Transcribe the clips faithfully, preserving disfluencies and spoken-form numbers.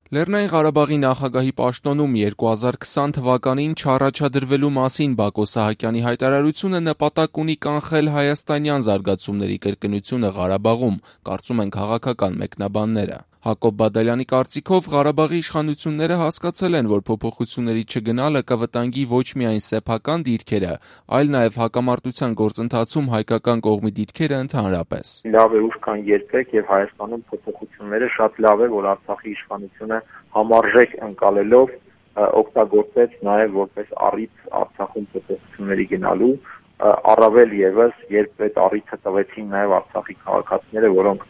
Լեռնային Ղարաբաղի նախագահի պաշտոնում երկու հազար քսան թվականին չառաջադրվելու մասին Բակո Սահակյանի հայտարարությունը նպատակ ունի կանխել հայաստանյան զարգացումների կրկնությունը Ղարաբաղում, կարծում են քաղաքական մեկնաբանները։ Հակոբ Բադալյանի կարծիքով Ղարաբաղի իշխանությունները հասկացել են, որ փոփոխությունների չգնալը կվտանգի ոչ միայն սեփական դիրքերը, այլ նաև հակամարտության գործընթացում հայկական կողմի դիրքերը ընդհանրապես։ Լավ է ուշ կան երբեք եւ Հայաստանում փոփոխությունները շատ լավ է, որ Արցախի իշխանությունը համարժեք ընկալելով օգտագործեց նաև որպես առիթ Արցախում փոփոխությունների գնալու, առավել եւս երբ այդ առիթը տվեցին նաև Արցախի քաղաքացիները, որոնք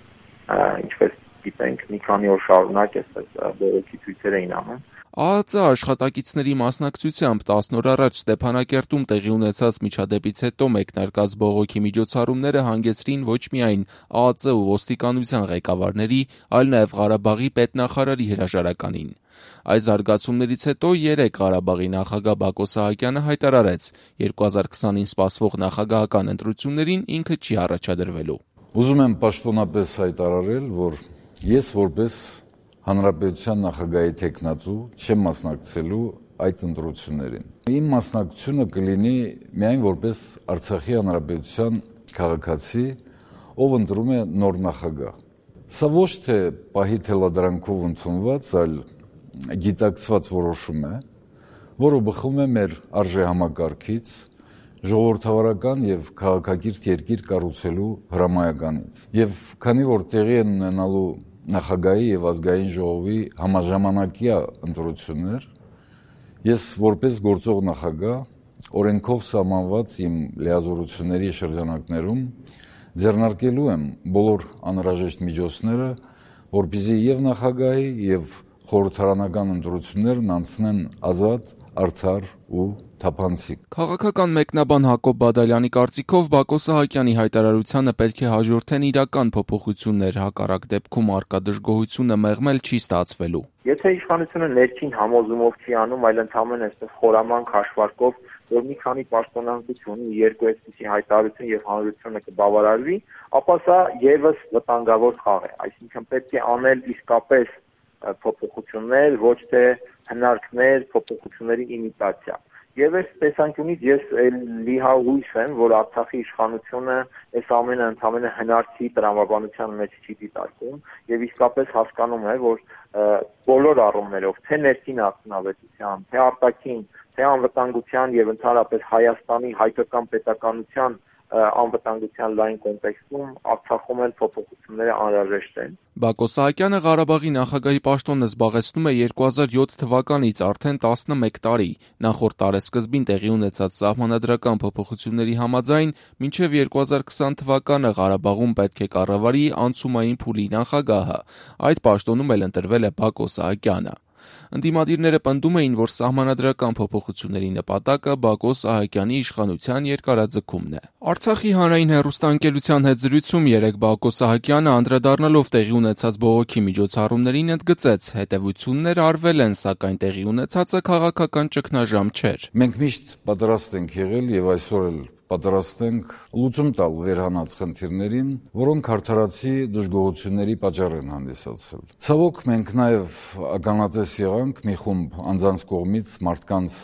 ինչպես գիտենք մի քանի օր շարունակ այսպես բողոքի ցույցեր էին անում։ ԱԱԾ աշխատակիցների մասնակցությամբ տասն օր առաջ Ստեփանակերտում տեղի ունեցած միջադեպից հետո մեկնարկած բողոքի միջոցառումները հանգեցրին ոչ միայն ԱԱԾ ու ոստիկանության ղեկավարների, այլ նաև Ղարաբաղի պետնախարարի հրաժարականին։ Այս զարգացումներից հետո երեկ Ղարաբաղի նախագահ Բակո Սահակյանը հայտարարեց՝ երկու հազար քսանին սպասվող նախագահական ընտրություններին ինքը չի առաջադրվելու։ Ուզում եմ պաշտոնապես հայտարարել, որ ես որպես Հանրապետության նախագահի թեկնածու չեմ մասնակցելու այդ ընտրություններին։ Իմ մասնակցությունը կլինի միայն որպես Արցախի Հանրապետության քաղաքացի, ով ընտրում է նոր նախագահ։ Սա ոչ թե պահի թելադրանքով ընդունված, այլ գիտակցված որոշում է, որը բխում է մեր արժեհամակարգից, ժողովրդավարական եւ քաղաքակիրթ երկիր կառուցելու հրամայականից։ Եվ քանի որ տեղի են ունենալու նախագահի եւ ազգային ժողովի համաժամանակյա ընտրություններ, ես որպես գործող նախագահ օրենքով սահմանված իմ լիազորությունների շրջանակներում ձեռնարկելու եմ բոլոր անհրաժեշտ միջոցները, որպեսզի եւ նախագահի եւ խորհրդարանական ընտրություններն անցնեն ազատ, արդար ու թափանցիկ։ Քաղաքական մեկնաբան Հակոբ Բադալյանի կարծիքով Բակո Սահակյանի հայտարարությանը պետք է հաջորդեն իրական փոփոխություններ, հակառակ դեպքում առկա դժգոհությունը մեղմել չի ստացվելու։ Եթե իշխանությունը ներքին համոզումով չի անում, այլ ընդհանրապես այսպես խորամանկ հաշվարկով, որ մի քանի պաշտոնանկություն ունի, երկու այսպիսի հայտարարություն եւ հանրությունը կբավարարվի, ապա սա եւս վտանգավոր խաղ է։ Այսինքն պետք է անել իսկապես փոփոխություններ, ոչ թե հնարքներ, փոփոխությունների իմիտացիա։ Եվ այս տեսանկյունից ես լիհահույս եմ, որ Արցախի իշխանությունը այս ամենը ընդհանրապես հնարքի տրամաբանության մեջ չի դիտարկում եւ իսկապես հասկանում է, որ բոլոր առումներով, թե ներքին արդյունավետության, թե արտաքին, թե անվտանգության եւ ընդհանրապես Հայաստանի հայկական պետականության անվտանգության լայն կոնտեքստում Արցախում էլ փոփոխությունները անհրաժեշտ են։ Բակո Սահակյանը Ղարաբաղի նախագահի պաշտոնը զբաղեցնում է երկու հազար յոթ թվականից արդեն տասնմեկ տարի։ Նախորդ տարեսկզբին տեղի ունեցած սահմանադրական փոփոխությունների համաձայն մինչև երկու հազար քսան թվականը Ղարաբաղում պետք է կառավարի անցումային փուլի նախագահը։ Այդ պաշտոնում էլ ընտրվել է Բակո Սահակյանը։ Ընդդիմադիրները պնդում էին, որ սահմանադրական փոփոխությունների նպատակը Բակո Սահակյանի իշխանության երկարաձգումն է։ Արցախի հանրային հեռուստաընկերության հետ զրույցում երեկ Բակո Սահակյանը անդրադառնալով տեղի ունեցած բողոքի միջոցառումներին ընդգծեց՝ հետևություններ արվել են, սակայն տեղի ունեցածը քաղաքական ճգնաժամ չէր։ Մենք միշտ պատրաստ ենք եղել եւ այսօր էլ պատրաստ ենք լուծում տալ վերհանած խնդիրներին, որոնք արդարացի դժգոհությունների պատճառ են հանդիսացել։ Ցավոք մենք նաև ականատես եղանք մի խումբ անձանց կողմից մարդկանց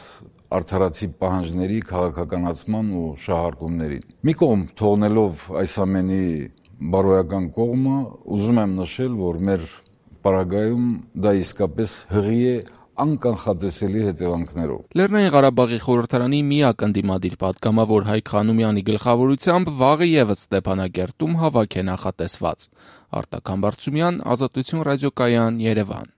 արդարացի պահանջների քաղաքականացման ու շահարկումներին։ Մի կողմ թողնելով այս ամենի բարոյական կողմը, ուզում եմ նշել, որ մեր պարագայում դա իսկապես հղի է անկանխատեսելի հետևանքներով։ Լեռնային Ղարաբաղի խորհրդարանի միակ ընդդիմադիր պատգամավոր Հայկ Խանոմյանի գլխավորությամբ վաղը եւս Ստեփանակերտում հավաք է նախատեսված։ Արտակ Համբարձումյան, Ազատություն ռադիոկայան, Երևան։